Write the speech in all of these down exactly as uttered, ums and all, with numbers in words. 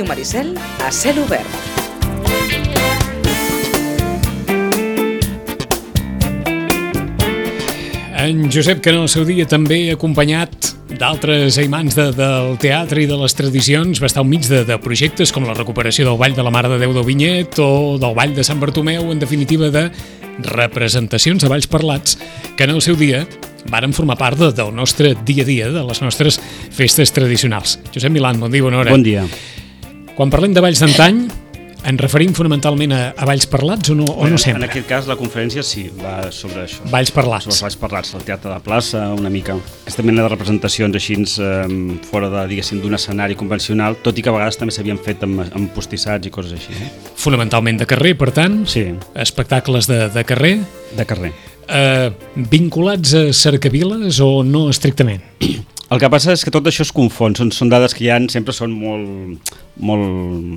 Ràdio Maricel a cel obert. En Josep, que en el seu dia també acompanyat d'altres aimants de, del teatre i de les tradicions, va estar enmig de, de projectes com la recuperació del Ball de la Mare de Déu del Vinyet o del Ball de Sant Bartomeu, en definitiva de representacions de balls parlats que en el seu dia varen formar part de, del nostre dia a dia, de les nostres festes tradicionals. Josep Milán, bon dia, bona hora. Bon dia. Quan parlem de balls d'antany, ens referim fonamentalment a, a balls parlats o no, o no sempre? En aquest cas la conferència sí, va sobre això. Balls parlats. Sobre els balls parlats, el teatre de plaça, una mica. Aquesta mena de representacions així eh, fora de, diguéssim, d'un escenari convencional, tot i que a vegades també s'havien fet amb, amb postissats i coses així. Eh? Fonamentalment de carrer, per tant? Sí. Espectacles de, de carrer? De carrer. Eh, vinculats a cercaviles o no estrictament? El que passa és que tot això es confon, són, són dades que hi ha, sempre són molt, molt,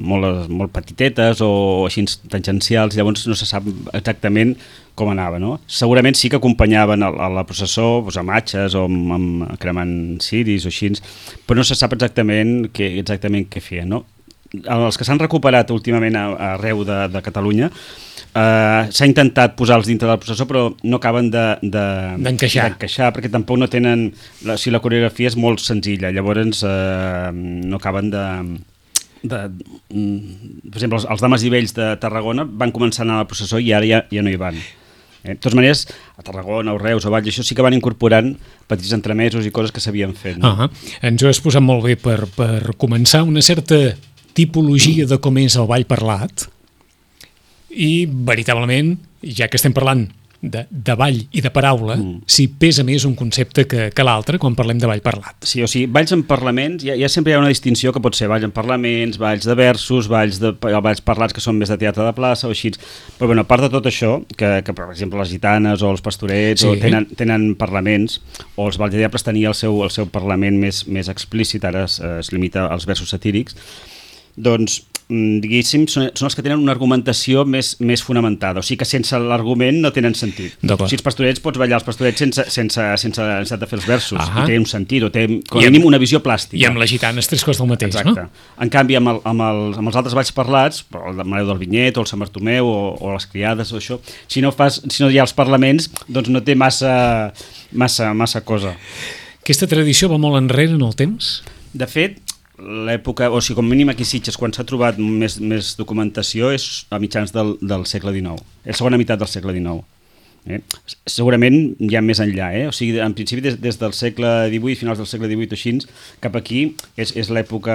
molt, molt petitetes o així tangencials, llavors no se sap exactament com anava, no? Segurament sí que acompanyaven a, a la processó doncs, amb atxes o amb, amb cremant ciris o així, però no se sap exactament què, exactament què feien, no? Els que s'han recuperat últimament arreu de, de Catalunya, Uh, s'ha intentat posar-los dintre del processó però no acaben d'encaixar, de, de, perquè tampoc no tenen la, si la coreografia és molt senzilla, llavors uh, no acaben de, de per exemple els, els dames i vells de Tarragona van començar a anar a la processó i ara ja, ja no hi van. Eh, de totes maneres, a Tarragona, a Reus, a Valls, això sí que van incorporant petits entremesos i coses que s'havien fet, no? Uh -huh. Ens ho has posat molt bé per, per començar una certa tipologia de com és el ball parlat. I, veritablement, ja que estem parlant de, de ball i de paraula, mm. si pesa més un concepte que, que l'altre quan parlem de ball parlat. Sí, o sigui, balls en parlaments, ja, ja sempre hi ha una distinció que pot ser balls en parlaments, balls de versos, balls, de, balls parlats que són més de teatre de plaça o així. Però, bueno, a part de tot això, que, que per exemple les gitanes o els pastorets sí. o tenen, tenen parlaments, o els balls de diables tenia el seu, el seu parlament més, més explícit, ara es, es limita als versos satírics, doncs diguéssim, són, són els que tenen una argumentació més, més fonamentada, o sigui que sense l'argument no tenen sentit. Si els pastorets pots ballar els pastorets sense, sense, sense necessitat de fer els versos, i té un sentit, o té com a mínim una visió plàstica. I amb les gitanes tres coses del mateix, exacte. No? En canvi, amb, el, amb, els, amb els altres balls parlats, el Mareu del Vinyet, o el Sant Bartomeu, o, o les criades, o això, si no, fas, si no hi ha els parlaments, doncs no té massa, massa, massa cosa. Aquesta tradició va molt enrere en el temps? De fet, l'època, o sigui, com mínim aquí a Sitges, quan s'ha trobat més, més documentació és a mitjans del, del segle dinou, la segona meitat del segle dinou. Eh? Segurament hi ha més enllà, eh? O sigui, en principi des, des del segle divuit, finals del segle divuit o així, cap aquí és, és l'època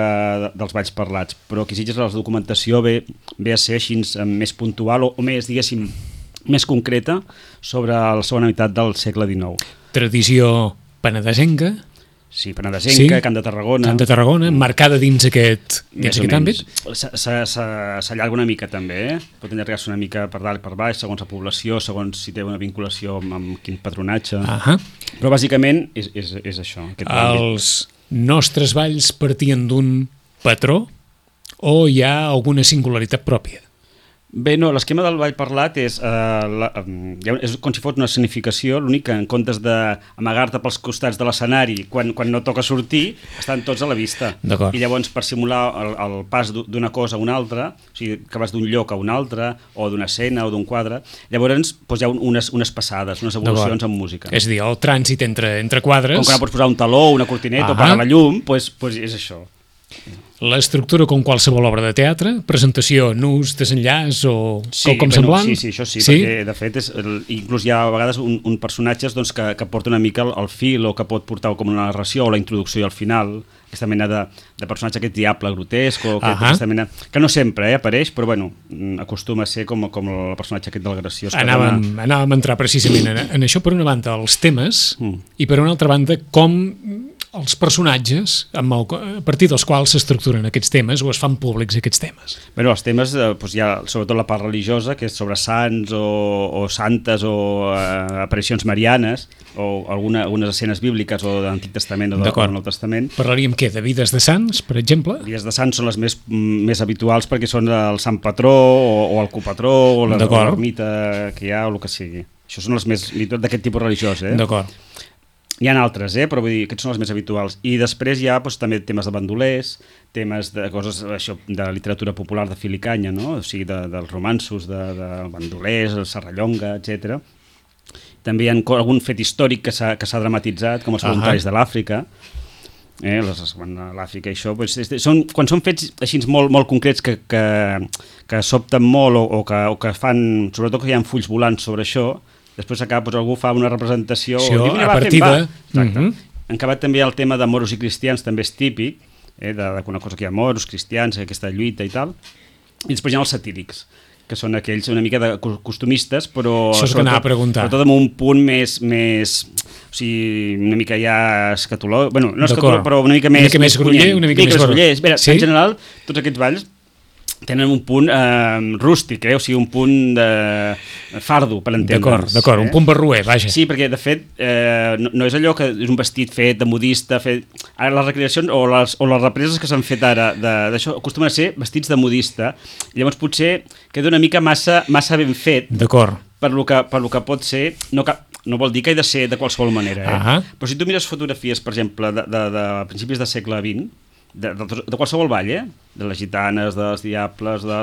dels balls parlats, però aquí a Sitges la documentació ve, ve a ser així més puntual o, o més, diguéssim, més concreta sobre la segona meitat del segle dinou. Tradició penedesenca? Sí, penedesenca, sí. Camp de Tarragona. Camp de Tarragona, marcada dins aquest, dins aquest àmbit. S'allarga una mica també, eh? Pot allargar-se una mica per dalt i per baix, segons la població, segons si té una vinculació amb, amb quin patronatge. Uh-huh. Però bàsicament és, és, és això. Els àmbit. Nostres balls partien d'un patró o hi ha alguna singularitat pròpia? Bé, no, l'esquema del ball parlat és, eh, la, és com si fos una escenificació, l'únic que en comptes d'amagar-te pels costats de l'escenari quan, quan no toca sortir, estan tots a la vista. I llavors per simular el, el pas d'una cosa a una altra, o sigui, que vas d'un lloc a un altre, o d'una escena o d'un quadre, llavors doncs, hi ha unes, unes passades, unes evolucions en música. És a dir, el trànsit entre, entre quadres... Com que no pots posar un taló, una cortineta, ah, o pagar la llum, doncs, doncs és això. L'estructura com qualsevol obra de teatre, presentació, nus, desenllaç o sí, com semblant? Sí, sí, això sí, sí? Perquè de fet és, inclús hi ha a vegades un, un personatges doncs, que, que porta una mica el, el fil o que pot portar com una narració o la introducció al final, aquesta mena de, de personatge, aquest diable grotesc o aquest, uh-huh. aquesta mena, que no sempre eh, apareix, però bueno, acostuma a ser com, com el personatge aquest del graciós. Anàvem, dona... anàvem a entrar precisament en, en això, per una banda els temes mm. i per una altra banda com els personatges amb el, a partir dels quals s'estructuren aquests temes o es fan públics aquests temes. Bé, els temes, eh, doncs hi ha sobretot la part religiosa, que és sobre sants o, o santes o eh, aparicions marianes o alguna, algunes escenes bíbliques o de l'Antic Testament o del Nou Testament. Parlaríem què? De vides de sants, per exemple? Vides de sants són les més, més habituals perquè són el sant patró o, o el copatró o l'ermita que hi ha o el que sigui. Això són les més d'aquest tipus religiós, eh? D'acord. hi ha altres, eh? Però vull dir, aquests són els més habituals. I després hi ha doncs, també temes de bandolers, temes de coses això, de literatura popular de fil i canya, no? O sigui, de, dels romanços de, de bandolers, el Serrallonga, etcètera. També hi ha algun fet històric que s'ha que s'ha dramatitzat, com els voluntaris uh -huh. de l'Àfrica, eh, les, quan l'Àfrica i això, doncs, són, quan són fets així molt, molt concrets que, que, que sobten molt o, o, que, o que fan, sobretot que hi ha fulls volants sobre això, després acaba, doncs, algú fa una representació sí, diu, a partir de... Exacte. Uh -huh. En acabat també el tema de moros i cristians també és típic, eh, de, de una cosa que hi ha moros, cristians, aquesta lluita i tal, i després hi ha els satírics, que són aquells una mica de costumistes, però això és que anava a preguntar. Sobretot amb un punt més, més o sigui, una mica ja escatològic, bueno, no escatològic, però una mica més... Una mica més groller, una mica, mica més groller. Bé, sí? En general, tots aquests balls tenen un punt eh, rústic, eh? O sigui, un punt de fardo, per entendre's. D'acord, d'acord, eh? Un punt barroer, vaja. Sí, perquè, de fet, eh, no, no és allò que és un vestit fet de modista, fet... Ara les recreacions o les, o les represes que s'han fet ara d'això acostumen a ser vestits de modista, llavors potser queda una mica massa, massa ben fet. D'acord. Per lo que, per lo que pot ser... No, no vol dir que hi de ser de qualsevol manera, eh? Uh-huh. Però si tu mires fotografies, per exemple, de, de, de principis del segle vint, de, de, de qualsevol ball, eh? De les gitanes, dels diables, de...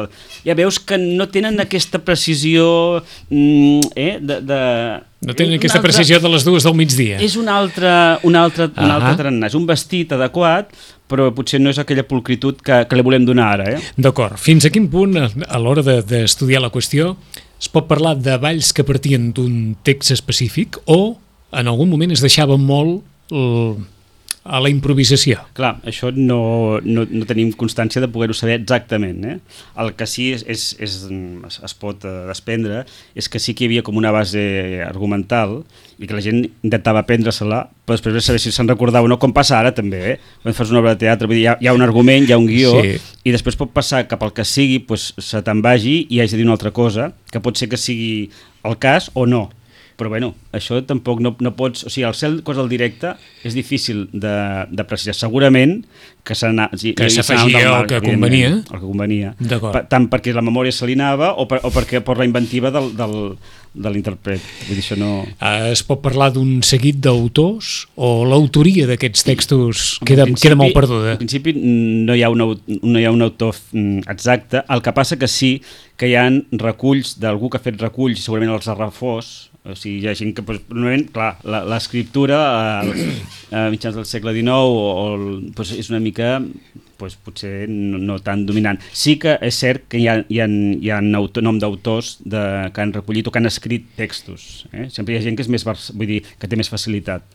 ja veus que no tenen aquesta precisió, eh? De, de... No tenen aquesta altra... precisió de les dues del migdia. És un altre, un altre, uh-huh. un altre tarannà, és un vestit adequat, però potser no és aquella pulcritud que, que li volem donar ara, eh? D'acord. Fins a quin punt, a l'hora d'estudiar de, la qüestió, es pot parlar de balls que partien d'un text específic o en algun moment es deixava molt el, a la improvisació? Clar, això no, no, no tenim constància de poder-ho saber exactament, eh? El que sí és, és, és, es pot desprendre és que sí que hi havia com una base argumental i que la gent intentava aprendre-se-la, però després de saber si se'n recordava o no, com passa ara també, eh? Quan fas una obra de teatre, vull dir, hi, ha, hi ha un argument, hi ha un guió, sí. I després pot passar cap al que sigui, pues, se te'n vagi i hagi de dir una altra cosa, que pot ser que sigui el cas o no. Però bueno, això tampoc no, no pots... O sigui, el ser cosa del directe és difícil de, de precisar. Segurament que s'afegia el que convenia. El que convenia. Tant perquè la memòria se li anava o, per, o perquè per la inventiva del, del, de l'intèrpret. Vull dir, això no... Es pot parlar d'un seguit d'autors o l'autoria d'aquests textos queda, queda molt perduda? En principi no hi ha un, no hi ha un autor exacte. El que passa que sí que hi ha reculls d'algú que ha fet reculls, segurament els ha refós. O sigui, hi ha gent que, doncs, normalment, clar, l'escriptura a, a mitjans del segle dinou o, o, doncs, és una mica, doncs, potser no, no tan dominant. Sí que és cert que hi ha, hi ha, hi ha autor, nom d'autors de, que han recollit o que han escrit textos. Eh? Sempre hi ha gent que és més, vull dir, que té més facilitat.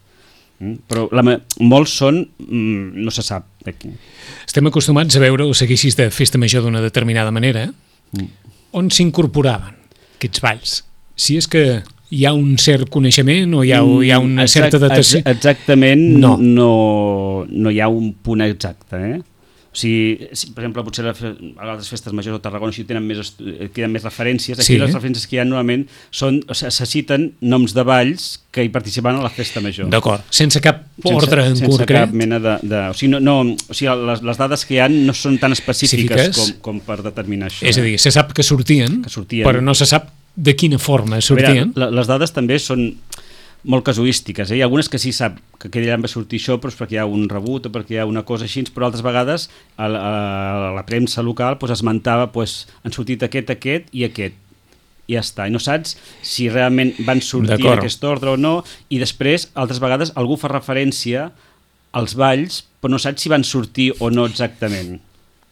Mm? Però la, molts són, mm, no se sap. Estem acostumats a veure o seguir així de festa major d'una determinada manera. Mm. On s'incorporaven aquests balls? Si és que hi ha un cert coneixement o hi ha, hi ha una Exact, certa datació? Exactament, no. No, no hi ha un punt exacte. Eh? O sigui, si, per exemple, potser a les festes majors de Tarragona si tenen més, tenen més referències. Aquí sí. Les referències que hi ha normalment són, o sigui, se citen noms de balls que hi participaven a la festa major. D'acord, sense cap ordre en sense concret? Sense cap mena de... de o sigui, no, no, o sigui les, les dades que hi ha no són tan específiques com, com per determinar això. És a dir, se sap que sortien, que sortien, però no se sap de quina forma sortien. Veure, les dades també són molt casuístiques, eh? Hi ha algunes que sí sap que aquell any va sortir això, però és perquè hi ha un rebut o perquè hi ha una cosa així, però altres vegades a la, a la premsa local pues, esmentava pues, han sortit aquest, aquest i aquest. I ja està, i no saps si realment van sortir en aquest ordre o no, i després, altres vegades, algú fa referència als balls, però no saps si van sortir o no exactament.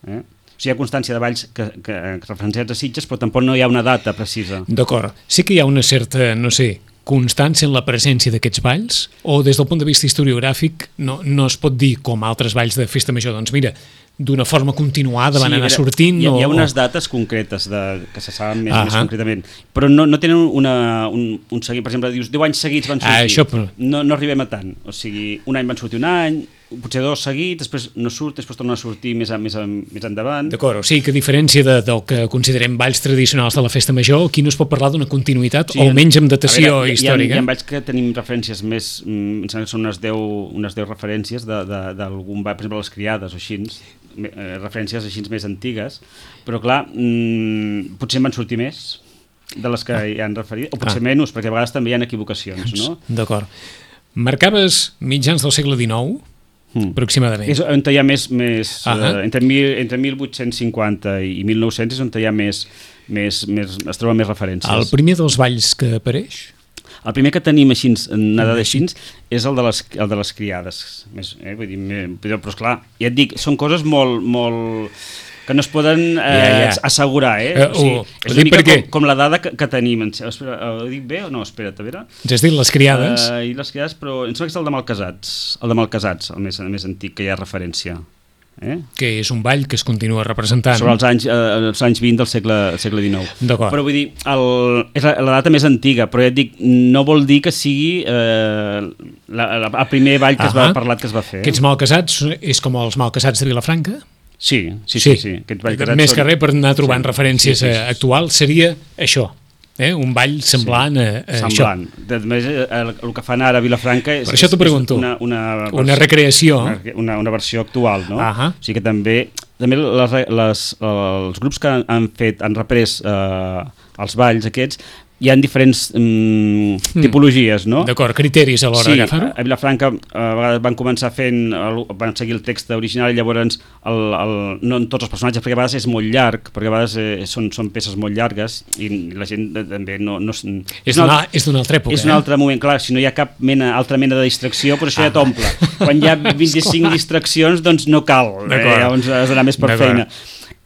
Eh? O sigui, hi ha constància de balls que, que, que referenciats a Sitges, però tampoc no hi ha una data precisa. D'acord. Sí que hi ha una certa, no sé, constància en la presència d'aquests balls? O des del punt de vista historiogràfic no, no es pot dir, com altres balls de festa major, doncs mira, d'una forma continuada van sí, anar sortint? Hi ha, o... hi ha unes dates concretes de, que se saben més, més concretament, però no, no tenen una, un, un seguit. Per exemple, dius, deu anys seguits van sortir. Ah, això, però... no, no arribem a tant. O sigui, un any van sortir un any, potser dos seguits, després no surt, després tornen a sortir més, a, més, a, més endavant. D'acord, o sigui que a diferència de, del que considerem balls tradicionals de la festa major, aquí no es pot parlar d'una continuïtat, sí, o almenys amb datació veure, històrica. Hi ha, hi ha balls que tenim referències més, mm, són unes deu, unes deu referències d'algun ball, per exemple, les criades o així, eh, referències així més antigues, però clar, mm, potser en van sortir més de les que ah. hi han referit, o potser ah. menys, perquè a vegades també hi ha equivocacions, no? D'acord. Marcaves mitjans del segle dinou, mm. aproximadament. És on hi ha més... més uh -huh. uh, entre, mil, entre mil vuit-cents cinquanta i mil nou-cents és on hi ha més, més, més... es troben més referències. El primer dels balls que apareix? El primer que tenim així, nada d'així, és el de les, el de les criades. Més, eh, vull dir, però esclar, ja et dic, són coses molt... molt que no es poden eh, ja, ja. assegurar, eh? Uh, o sigui, uh, és una mica perquè... com, com la dada que, que tenim. Espera, ho dic bé o no? Espera't, a veure. Ens has dit les criades? Uh, I les criades, però em sembla que és el de Malcasats, el de Malcasats, el més, el més antic que hi ha referència. Eh? Que és un ball que es continua representant. Sobre els anys, eh, els anys vint del segle, segle dinou. D'acord. Però vull dir, el, és la, la data més antiga, però ja et dic, no vol dir que sigui eh, la, la, el primer ball que uh -huh. es va parlar que es va fer. Aquests Malcasats és com els Malcasats de Vilafranca? Sí, sí, sí. sí, sí. Més que res per anar trobant sí, referències sí, sí, sí. actuals seria això, eh? Un ball semblant sí, a, a semblant. això. A més, el, el que fan ara a Vilafranca és, per això t'ho pregunto. Una, una, una recreació. Una, una, una versió actual, no? Uh -huh. O sigui que també, també les, les, els grups que han, han fet, han reprès eh, els balls aquests, hi ha diferents mm, tipologies, no? D'acord, criteris a l'hora sí, d'agafar-ho? a Vilafranca a vegades van començar fent, el, van seguir el text original i llavors el, el, no en tots els personatges, perquè a vegades és molt llarg, perquè a vegades eh, són, són peces molt llargues i la gent eh, també no... no és d'una altra, altra època, És d'un eh? altre moment, clar, si no hi ha cap mena, altra mena de distracció, però això ah. ja t'omple. Quan hi ha vint-i-cinc distraccions, doncs no cal, eh? Llavors has d'anar més per feina.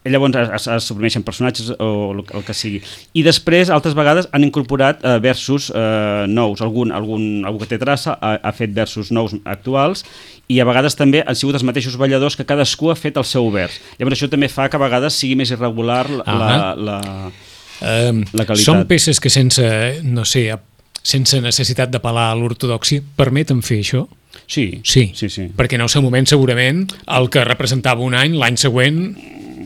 Llavors es, es suprimeixen personatges o el, el que sigui. I després, altres vegades, han incorporat eh, versos eh, nous. Algun, algun, algú que té traça ha, ha fet versos nous actuals i a vegades també han sigut els mateixos balladors que cadascú ha fet el seu vers. Llavors això també fa que a vegades sigui més irregular la, uh -huh. la, la, um, la qualitat. Són peces que sense, no sé, sense necessitat d'apel·lar a l'ortodòxia permeten fer això? Sí, sí, sí, sí. Perquè en el seu moment segurament el que representava un any, l'any següent...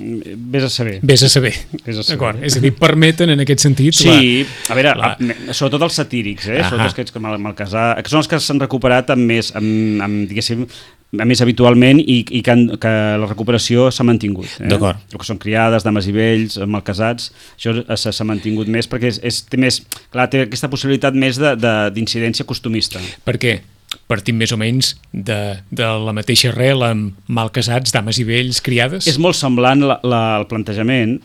Vés a saber. Vés a saber. D'acord, és a dir, permeten en aquest sentit... Sí, la, a veure, la... sobretot els satírics, eh? Sobretot aquests com el Malcasar, que són els que s'han recuperat amb més, amb, amb, diguéssim, més habitualment i, i que, han, que la recuperació s'ha mantingut. Eh? D'acord. El que són criades, dames i vells, Malcasats, això s'ha mantingut més perquè és, és, té més, clar, té aquesta possibilitat més d'incidència costumista. Per què? Partim més o menys de, de la mateixa arrel amb Malcasats, dames i vells, criades? És molt semblant la, la, el plantejament,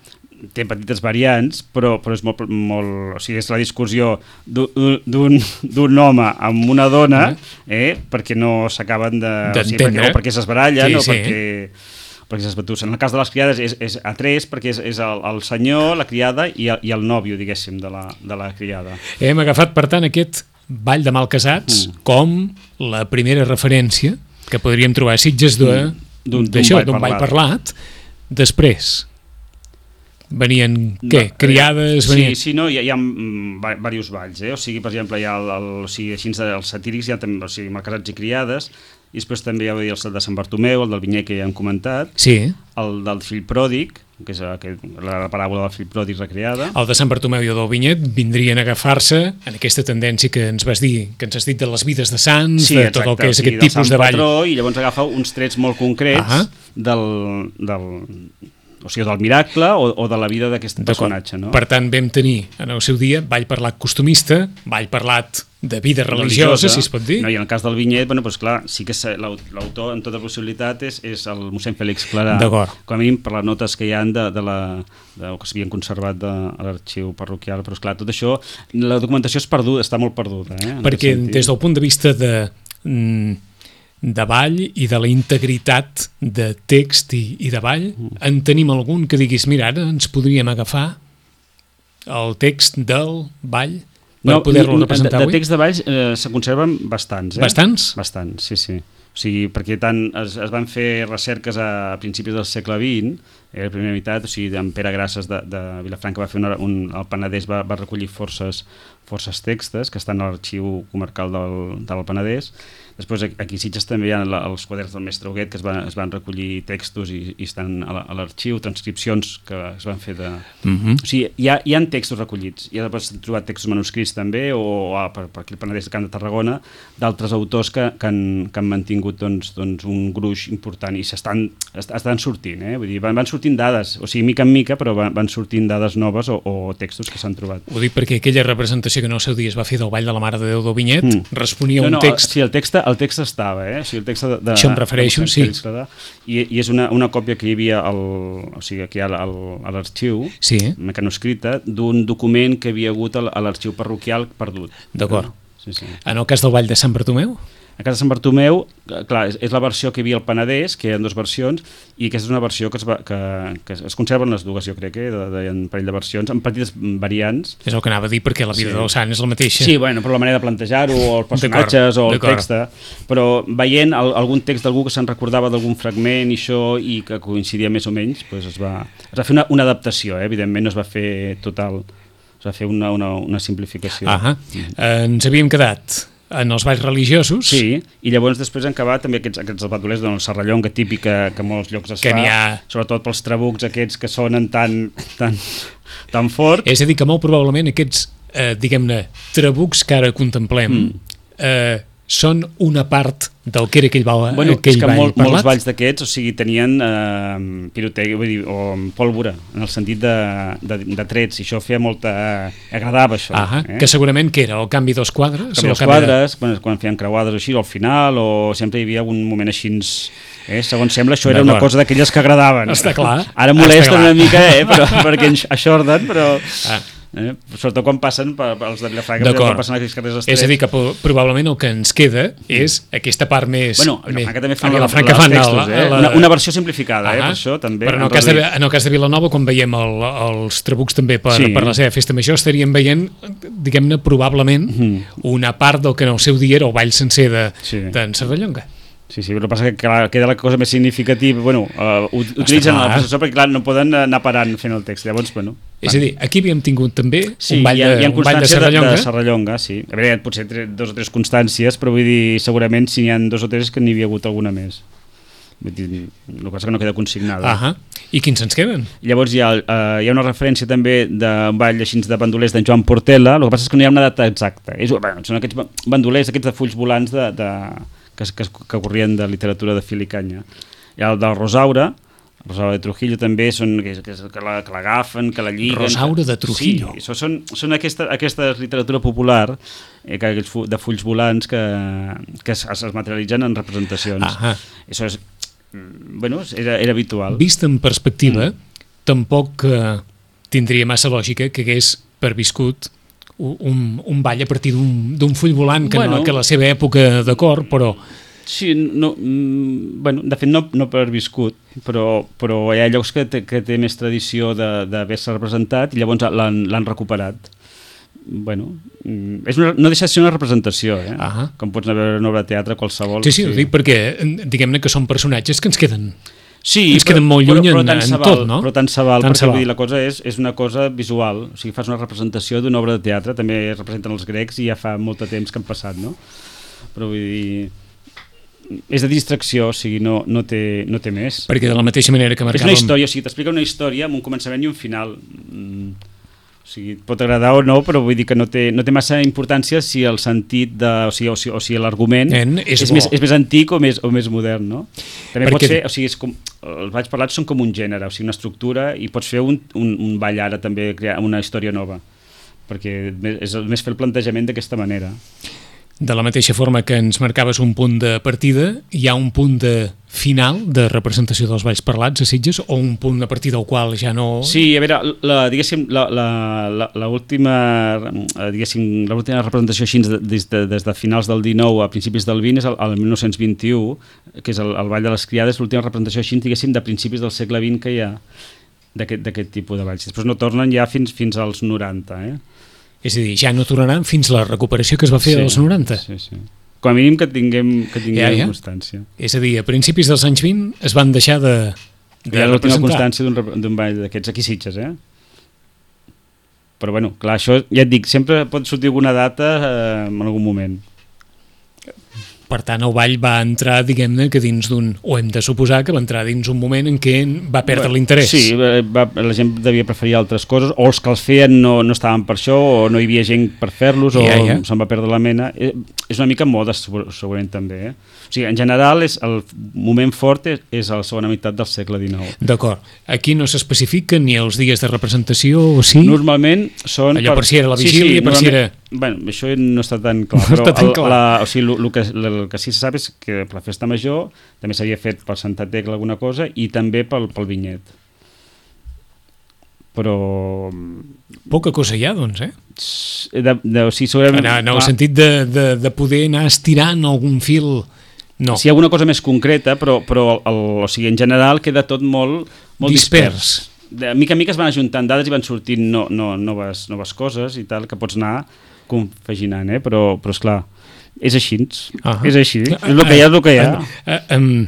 té petites variants, però, però és molt, molt... O sigui, és la discussió d'un home amb una dona, eh, perquè no s'acaben de... O sigui, perquè, o perquè s'esbarallen, sí, o sí. perquè... perquè s'esbatussen. En el cas de les criades és, és a tres, perquè és, és el, el senyor, la criada i el, i el nòvio, diguéssim, de la, de la criada. Hem agafat, per tant, aquest ball de Malcasats mm. com la primera referència que podríem trobar a Sitges d'un ball, ball parlat. Després venien, què? No, criades? Sí, venien... sí, no, hi ha, hi ha diversos balls, eh? O sigui, per exemple, hi ha el, el, o sigui, així els satírics, hi ha també, o sigui, Malcasats i criades, i després també hi ha el de Sant Bartomeu, el del Vinyer, que ja hem comentat, sí. El del fill pròdig, que és que, la paràbola del fill pròdig recreada. El de Sant Bartomeu i el del Vinyet vindrien a agafar-se en aquesta tendència que ens vas dir, que ens has dit de les vides de sants, sí, de exacte, tot el que és o sigui, aquest tipus de ball. Patró, i llavors agafa uns trets molt concrets uh -huh. del, del, o sigui, del miracle o, o de la vida d'aquest personatge. No? Per tant, vam tenir en el seu dia ball parlat costumista, ball parlat de vida religiosa, religiosa, si es pot dir. No, i en el cas del Vinyet, bueno, doncs clar, sí que l'autor en tota possibilitat és, és el mossèn Fèlix Clarà, com a mínim per les notes que hi ha de, de la, de, que s'havien conservat de, a l'arxiu parroquial, però esclar, tot això, la documentació és perduda, està molt perduda. Eh, perquè des del punt de vista de, de ball i de la integritat de text i, i de ball, mm. en tenim algun que diguis, mira, ara ens podríem agafar el text del ball per no, poder-lo representar de, avui? De text de balls eh, se conserven bastants. Eh? Bastants? Bastants, sí, sí. O sigui, perquè tant es, es van fer recerques a principis del segle vint, eh, la primera meitat, o sigui, en Pere Grasses de, de Vilafranca va fer una, un, el Penedès va, va recollir forces, forces textes que estan a l'arxiu comarcal del, del Penedès. Després aquí a Sitges també hi ha la, els quaderns del mestre Huguet que es van, es van recollir textos i, i estan a l'arxiu, transcripcions que es van fer de... Uh-huh. O sigui, hi ha, hi ha textos recollits, hi ha trobat textos manuscrits també, o ah, per, per aquí el Penedès de Camp de Tarragona, d'altres autors que, que, han, que han mantingut doncs, doncs, un gruix important i s'estan estan sortint, eh? Vull dir, van, van sortint sortint dades, o sigui, mica en mica, però van, van sortint dades noves o, o textos que s'han trobat. Ho dic perquè aquella representació que en el seu dia es va fer del Ball de la Mare de Déu d'Aubinyet mm. responia a no, un no, text... Sí, el text, el text estava, eh? O sigui, el text de, de, Això em refereixo, sí. I, i és una, una còpia que hi havia al, o sigui, aquí a l'arxiu, sí. mecanoscrita, d'un document que havia hagut a l'arxiu parroquial perdut. D'acord. Sí, sí. En el cas del Ball de Sant Bartomeu? A casa de Sant Bartomeu, clar, és, és la versió que hi havia al Penedès, que hi ha dues versions, i aquesta és una versió que es, va, que, que es conserven les dues, jo crec, eh, de, de, de un parell de versions, amb petites variants. És el que anava a dir, perquè la vida sí. del sant és la mateixa. Sí, bueno, però la manera de plantejar-ho, o els personatges, o el text, però veient el, algun text d'algú que se'n recordava d'algun fragment i això, i que coincidia més o menys, doncs es, va, es va fer una, una adaptació, eh? Evidentment no es va fer total, es va fer una, una, una simplificació. Ah, mm. eh, ens havíem quedat en els balls religiosos. Sí, i llavors després han acabat també aquests, aquests bandolers de la serrallonga típica que a molts llocs es que fa, ha... sobretot pels trabucs aquests que sonen tan, tan, tan fort. És a dir, que molt probablement aquests, eh, diguem-ne, trabucs que ara contemplem mm. eh, són una part del que era aquell ball, bueno, aquell és que ball molt, parlat. Molts balls d'aquests, o sigui, tenien eh, pirotècnia, vull dir, o pólvora, en el sentit de, de, de trets, i això feia molta... agradava això. Ah, eh? Que segurament que era el canvi dels quadres? El canvi dels quadres, de... quan, quan feien creuades així, al final, o sempre hi havia algun moment així... Eh? Segons sembla, això era una cosa d'aquelles que agradaven. Està clar. Ara molesta una mica, eh? però, perquè aixorden, però... Ah. Eh? Sobretot quan passen pels de Vilafranca, quan passen aquells carrers estrets. És a dir, que probablement el que ens queda és aquesta part més... Bueno, a Vilafranca també fan, a Vilafranca fan textos, eh? la... una, una versió simplificada, eh? Per això també. Però en el, cas de, en el cas de Vilanova, quan veiem el, els trabucs també per, sí. per la seva festa major, estaríem veient, diguem-ne, probablement mm. una part del que en el seu dia era el ball sencer de, sí. d'en Serrallonga. Sí, sí, però passa que clar, queda la cosa més significativa, bueno, uh, utilitzen el processor perquè clar, no poden anar parant fent el text, llavors, bueno... És a dir, aquí havíem tingut també sí, un ball de, hi ha, hi ha un ball de Serrallonga. De Serrallonga, sí. A veure, potser dos o tres constàncies, però vull dir, segurament si n'hi ha dos o tres que n'hi havia hagut alguna més. Vull dir, el que passa que no queda consignada. Ahà. I quins ens queden? Llavors hi ha, uh, hi ha una referència també d'un ball així de bandolers d'en Joan Portela, el que passa és que no hi ha una data exacta. És, bueno, són aquests bandolers, aquests de fulls volants de... de Que, que, que corrien de literatura de fil i canya. Hi ha el del Rosaura, el Rosaura de Trujillo també, són, que, que, que l'agafen, que la lliguen... Rosaura de Trujillo. Sí, això són, són aquesta, aquesta literatura popular eh, que, de fulls volants que, que es, es materialitzen en representacions. Ahà. Això és, bueno, era, era habitual. Vist en perspectiva, mm. tampoc eh, tindria massa lògica que hagués perviscut Un, un ball a partir d'un full volant que, bueno, no, que la seva època d'acord, però... Sí, no, mm, bueno, de fet no, no per viscut, però, però hi ha llocs que té, que té més tradició d'haver-se representat i llavors l'han recuperat. Bueno, és una, no deixa de ser una representació, eh? Uh-huh. Com pots anar a veure una obra de teatre qualsevol. Sí, sí, ho dic perquè diguem-ne que són personatges que ens queden... Sí, ens queden molt lluny però, però en, en val, tot, no? Però tant se val, tant perquè vull dir, la cosa és, és una cosa visual, o sigui, fas una representació d'una obra de teatre, també representen els grecs i ja fa molt de temps que han passat, no? Però vull dir, és de distracció, o sigui, no, no, té, no té més. Perquè de la mateixa manera que marcàvem... És una història, o sigui, t'explica una història amb un començament i un final. Mm. O sigui, pot agradar o no, però vull dir que no té, no té massa importància si el sentit de, o sigui, o sigui, o sigui l'argument és, és, més, és més antic o més, o més modern, no? També perquè... pot ser, o sigui, és com, els balls parlats són com un gènere, o sigui, una estructura, i pots fer un, un, un ball ara també, crear una història nova, perquè és més fer el plantejament d'aquesta manera. De la mateixa forma que ens marcaves un punt de partida, hi ha un punt de final de representació dels balls parlats a Sitges, o un punt a partir del qual ja no... Sí, a veure, la, diguéssim, la, la, la, la última, diguéssim, l'última representació així des de, des de finals del dinou a principis del vint és el, el mil nou-cents vint-i-u, que és el, el Ball de les Criades, l'última representació així, diguéssim, de principis del segle vint que hi ha d'aquest tipus de balls. Després no tornen ja fins, fins als noranta, eh? És a dir, ja no tornaran fins la recuperació que es va fer sí, als noranta. Sí, sí. Com a mínim que tinguem, que tinguem ja, ja. constància. És a dir, a principis dels anys vint es van deixar de, de hi ha l'última constància d'un ball d'aquests aquí Sitges, eh? Però bueno, clar, això ja et dic, sempre pot sortir alguna data eh, en algun moment. Per tant, el ball va entrar, diguem-ne, que dins d'un... O hem de suposar que va entrar dins un moment en què va perdre bueno, l'interès. Sí, va, la gent devia preferir altres coses, o els que els feien no, no estaven per això, o no hi havia gent per fer-los, o ja, ja. se'n va perdre la mena. és una mica moda segurament també, eh? O sigui, en general és el moment fort és, és a la segona meitat del segle dinou. D'acord. Aquí no s'especifica ni els dies de representació o sí? Normalment són... Allò per si era la vigília, sí, sí, per si era... Bueno, això no està tan clar, no però tan el, clar. La, o sigui, el, el, que, el que sí se sap és que per la festa major també s'havia fet per Santa Tecla alguna cosa i també pel, pel vinyet. Però... Poca cosa hi ha, doncs, eh? De, de, o sigui, segurament... En, en el ah. sentit de, de, de poder anar estirant algun fil... No. Sí, hi ha alguna cosa més concreta, però, però el, o sigui, en general queda tot molt, molt dispers. dispers. De mica en mica es van ajuntant dades i van sortint no, no, noves, noves coses i tal, que pots anar compaginant, eh? Però, però esclar, és així. Uh -huh. És així. Uh, és el que hi ha, és el que hi ha. Uh, uh, um,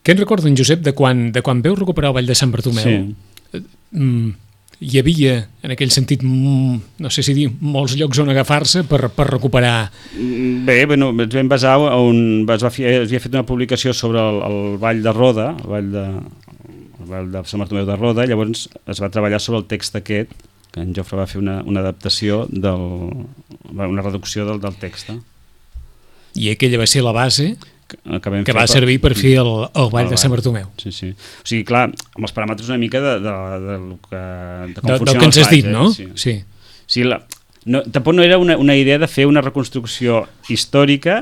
què en recorda, en Josep, de quan, de quan veu recuperar el Vall de Sant Bartomeu? Sí. Uh, um, hi havia, en aquell sentit, no sé si dir, molts llocs on agafar-se per, per recuperar... Bé, bueno, ens vam basar on es, va fer, es havia fet una publicació sobre el, el Vall de Roda, el Vall de, el Vall de Sant Bartomeu de Roda, llavors es va treballar sobre el text aquest, que en Jofre va fer una, una adaptació, del, una reducció del, del text. I aquella va ser la base... que, que va servir per fer el, el Vall el de Sant Bartomeu. Sí, sí. O sigui, clar, amb els paràmetres una mica de, de, de, de, que, de com de, funcionen del que ens has dit, eh? no? Sí. Sí. O sigui, la, no, tampoc no era una, una idea de fer una reconstrucció històrica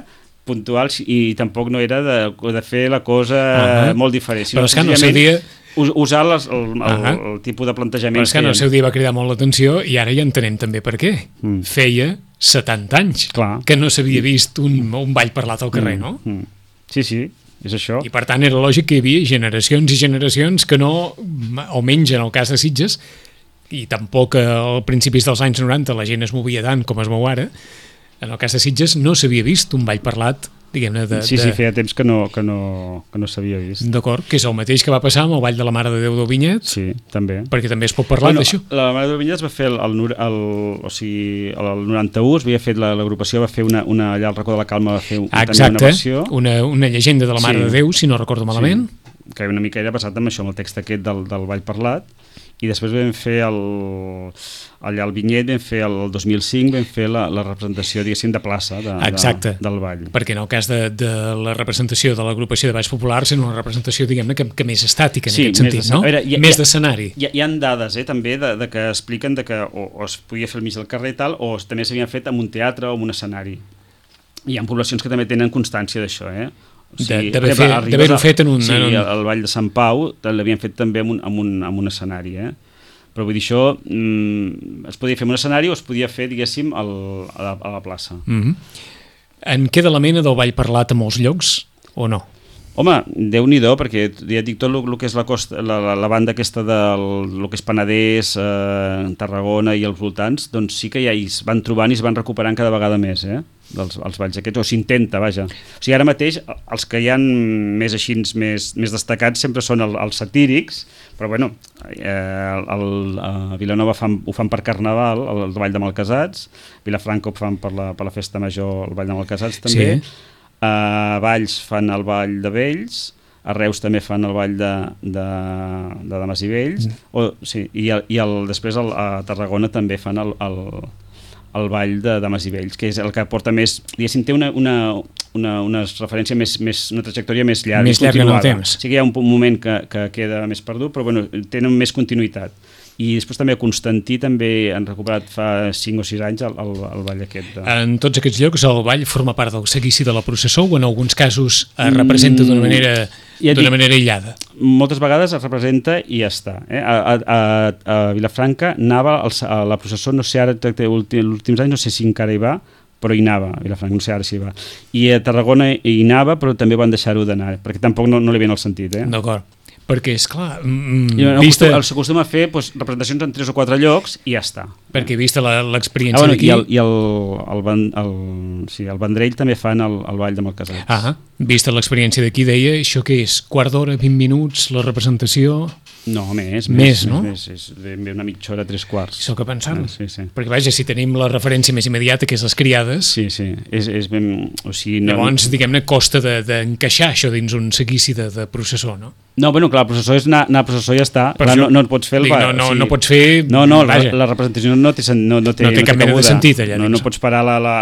puntual i tampoc no era de, de fer la cosa uh -huh. molt diferent. Però és que en el seu dia... usar les, el, el, uh -huh. el tipus de plantejament. Però és que en el seu dia va cridar molt l'atenció i ara ja entenem també per què. Mm. Feia setanta anys Clar. que no s'havia vist un, un ball parlat al carrer, mm. no? Mm. Sí, sí, és això. I per tant era lògic que hi havia generacions i generacions que no, almenys en el cas de Sitges, i tampoc a principis dels anys noranta la gent es movia tant com es mou ara, en el cas de Sitges no s'havia vist un ball parlat, diguem-ne, de... Sí, sí, feia temps que no, que no, que no s'havia vist. D'acord, que és el mateix que va passar amb el Ball de la Mare de Déu del Vinyet. Sí, també. Perquè també es pot parlar bueno, d'això. La Mare de Déu del Vinyet es va fer el, el, el, o sigui, el noranta-u, es havia fet l'agrupació, va fer una, una, allà al racó de la Calma va fer un, Exacte, una versió. Una, una llegenda de la Mare sí. de Déu, si no recordo malament. Sí, que una mica era basat en això, amb el text aquest del, del Ball parlat. I després vam fer el, allà al Vinyet, vam fer el dos mil cinc, vam fer la, la representació, diguéssim, de plaça de, de, del ball. Perquè en el cas de, de la representació de l'agrupació de balls populars era una representació, diguem-ne, que, que més estàtica en sí, aquest sentit, no? Veure, ha, més d'escenari. Hi, hi ha dades, eh, també, de, de que expliquen de que o, o es podia fer al mig del carrer i tal, o també s'havien fet en un teatre o en un escenari. Hi ha poblacions que també tenen constància d'això, eh? O sigui, d'haver-ho fet en un... Sí, en un... el Vall de Sant Pau l'havien fet també en un, en un, en un escenari, eh? Però vull dir, això mm, es podia fer en un escenari o es podia fer, diguéssim, al, a, la, a la plaça. Mm-hmm. En queda la mena del ball parlat a molts llocs, o no? Home, Déu-n'hi-do, perquè ja et dic tot el que és la, costa, la, la, la banda aquesta del lo que és Penedès, eh, Tarragona i els voltants, doncs sí que ja es van trobant i es van recuperant cada vegada més, eh? Dels, els balls aquests, o s'intenta, vaja. O sigui, ara mateix, els que hi ha més així, més, més destacats sempre són el, els satírics, però bueno, eh, el, el, a Vilanova fan, ho fan per Carnaval, el, el Ball de Malcasats, Vilafranca ho fan per la, per la Festa Major, el Ball de Malcasats també, sí. A Valls fan el Ball de Vells, a Reus també fan el Ball de, de, de Dames i Vells, mm. o, sí, i, el, i el, després el, a Tarragona també fan el, el, el Ball de Dames i Vells, que és el que porta més, diguéssim, té una, una, una, una referència més, més, una trajectòria més llarga. Més llarga en el temps. Sí que hi ha un moment que, que queda més perdut, però bueno, tenen més continuïtat. I després també a Constantí també han recuperat fa cinc o sis anys el, el, el ball aquest. De... En tots aquests llocs el ball forma part del seguici de la processó o en alguns casos es representa d'una manera, ja d'una manera aïllada? Moltes vegades es representa i ja està. Eh? A, a, a Vilafranca anava el, a la processó, no sé ara, els últims anys no sé si encara hi va, però hi anava, a Vilafranca, no sé ara si hi va. I a Tarragona hi anava, però també van deixar-ho d'anar, perquè tampoc no, no li ven el sentit. Eh? D'acord. Perquè, esclar... Mm, no, vista... S'acostuma a fer doncs, representacions en tres o quatre llocs i ja està. Perquè vista l'experiència ah, bueno, d'aquí... I, el, i el, el, el, el, sí, el Vendrell també fan el, el Ball de Malcasats. Ah, vista l'experiència d'aquí, deia, això què és? Quart d'hora, vint minuts, la representació... No, més, més, més no? Més, és ben una mitja hora, tres quarts. Això que pensant. Ah, sí, sí. Perquè, vaja, si tenim la referència més immediata, que és les criades... Sí, sí, és, és ben... O sigui, no... Llavors, diguem-ne, costa d'encaixar de, això dins un seguici de, de processó, no? No, bueno, clar, el processó és anar, anar a processó i ja està. Clar, no, no et pots fer el... Dic, no, no, o sigui, no pots fer... No, no, la, la representació no té, no, no té, no té cap mena de sentit, allà no, dins. No pots parar la... la...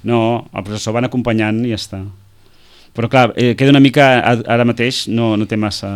No, el processó van acompanyant i ja està. Però clar, eh, queda una mica, ara mateix no, no té massa...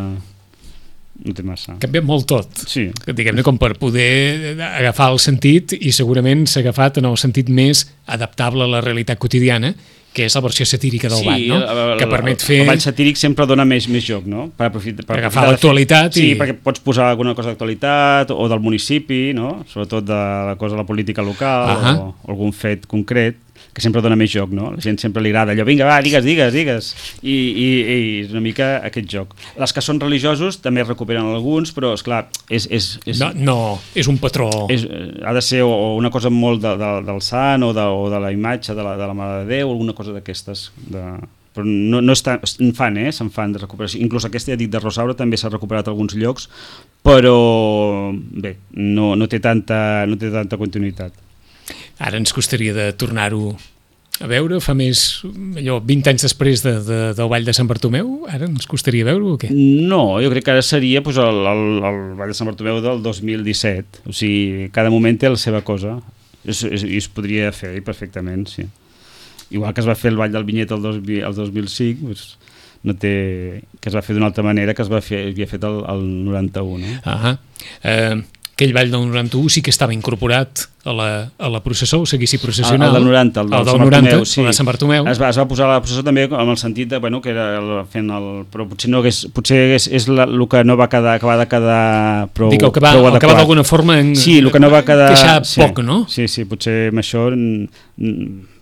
No té massa. Ha canviat molt tot. Sí. Diguem-ne, com per poder agafar el sentit, i segurament s'ha agafat en el sentit més adaptable a la realitat quotidiana, que és la versió satírica del sí, ball, no? El, el, que permet fer... el ball satíric sempre dona més, més joc, no? Per, aprofitar, per, per agafar l'actualitat. Sí, i... perquè pots posar alguna cosa d'actualitat o del municipi, no? Sobretot de la cosa de la política local, uh-huh. o, o algun fet concret, que sempre dona més joc, no? La gent sempre li agrada allò, vinga, va, digues, digues, digues. I, i, i és una mica aquest joc. Les que són religiosos també recuperen alguns, però, esclar, és... és, és no, no, és un patró. És, ha de ser o una cosa molt de, de, del sant o de, o de la imatge de la, de la Mare de Déu, o alguna cosa d'aquestes. De... Però no, no està, en fan, eh? Se'n fan de recuperació. Inclús aquesta, ja dic, de Rosaura també s'ha recuperat a alguns llocs, però, bé, no, no, té tanta, no té tanta continuïtat. Ara ens costaria de tornar-ho a veure, fa més, allò, vint anys després de, de, del Ball de Sant Bartomeu, ara ens costaria veure-ho o què? No, jo crec que ara seria pues, el, el, el Ball de Sant Bartomeu del dos mil disset, o sigui, cada moment té la seva cosa, i es, es, es podria fer perfectament, sí. Igual que es va fer el Ball del Vinyet el, dos, el dos mil cinc, pues, no té, que es va fer d'una altra manera que es va fer, havia fet el, el noranta-u, no? Ahà. Eh... Aquell ball del noranta-u sí que estava incorporat a la, a la processó, o seguici processional. El, el del noranta, el del, el del Sant noranta, Bartomeu, sí. El de Sant Bartomeu. Es va, es va posar a la processó també amb el sentit de, bueno, que era el, fent el... Però potser no hagués, potser és, és la, el que no va quedar, acabar de quedar prou, Dic, el que va, prou el que va d'alguna forma en, sí, el que no va quedar... queixar sí, poc, no? Sí, sí, potser amb això...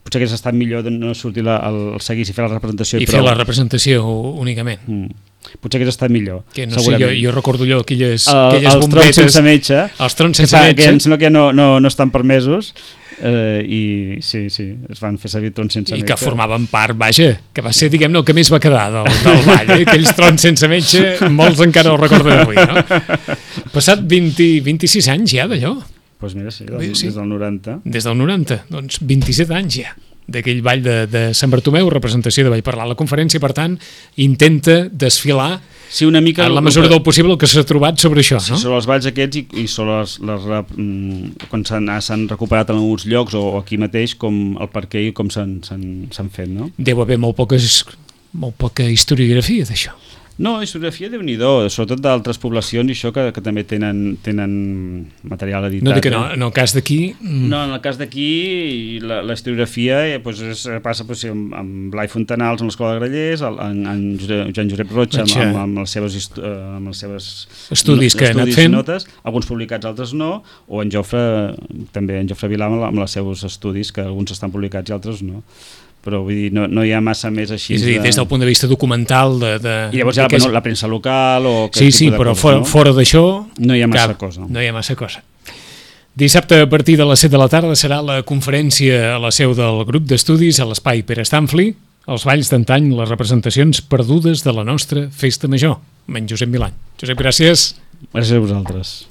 Potser hagués estat millor de no sortir la, el seguici i fer la representació. I, I fer la representació únicament. Mm. Potser hagués estat millor, que no sé, jo, jo recordo allò, aquelles, el, aquelles els bombetes... Els trons sense metge. Els trons sense que, metge. Que em sembla que no, no, no estan permesos, eh, i sí, sí, es van fer servir trons sense I metge. I que formaven part, vaja, que va ser, diguem-ne, el que més va quedar del, del ball, eh? Aquells trons sense metge, molts encara ho recorden avui, no? Passat vint, vint-i-sis anys ja d'allò. Doncs pues mira, sí, del, sí, des del noranta. Des del noranta, doncs vint-i-set anys ja d'aquell ball de, de Sant Bartomeu, representació de Ball Parlar. La conferència, per tant, intenta desfilar sí, una mica en la mesura del possible el que s'ha trobat sobre això, sí, no? Sobre els balls aquests i, i sobre les, les, les, quan s'han recuperat en alguns llocs o aquí mateix, com el per què i com s'han fet, no? Deu haver molt, poques, molt poca historiografia d'això. No, historiografia déu-n'hi-do, sobretot d'altres poblacions i això que, que també tenen, tenen material editat. No dic que no, en el cas d'aquí... Mm. No, en el cas d'aquí la, la historiografia eh, pues, es, passa pues, amb, amb Blai Fontanals en l'Escola de Grallers, en, en Joan Josep Roig amb, amb, amb, les seves, amb les seves estudis que ha anat fent, notes, alguns publicats, altres no, o en Jofre, també en Jofre Vilà amb, amb els seus estudis, que alguns estan publicats i altres no. Però vull dir, no, no hi ha massa més així. És a dir, de... des del punt de vista documental... De, de, I llavors hi ha la, és... la premsa local o... Sí, sí, però coses, fora, no? fora d'això... No hi ha massa cap, cosa. No hi ha massa cosa. Dissabte, a partir de les set de la tarda, serà la conferència a la seu del grup d'estudis a l'Espai Pere Stanfli, els balls d'antany, les representacions perdudes de la nostra festa major, amb en Josep Milany. Josep, gràcies. Gràcies a vosaltres.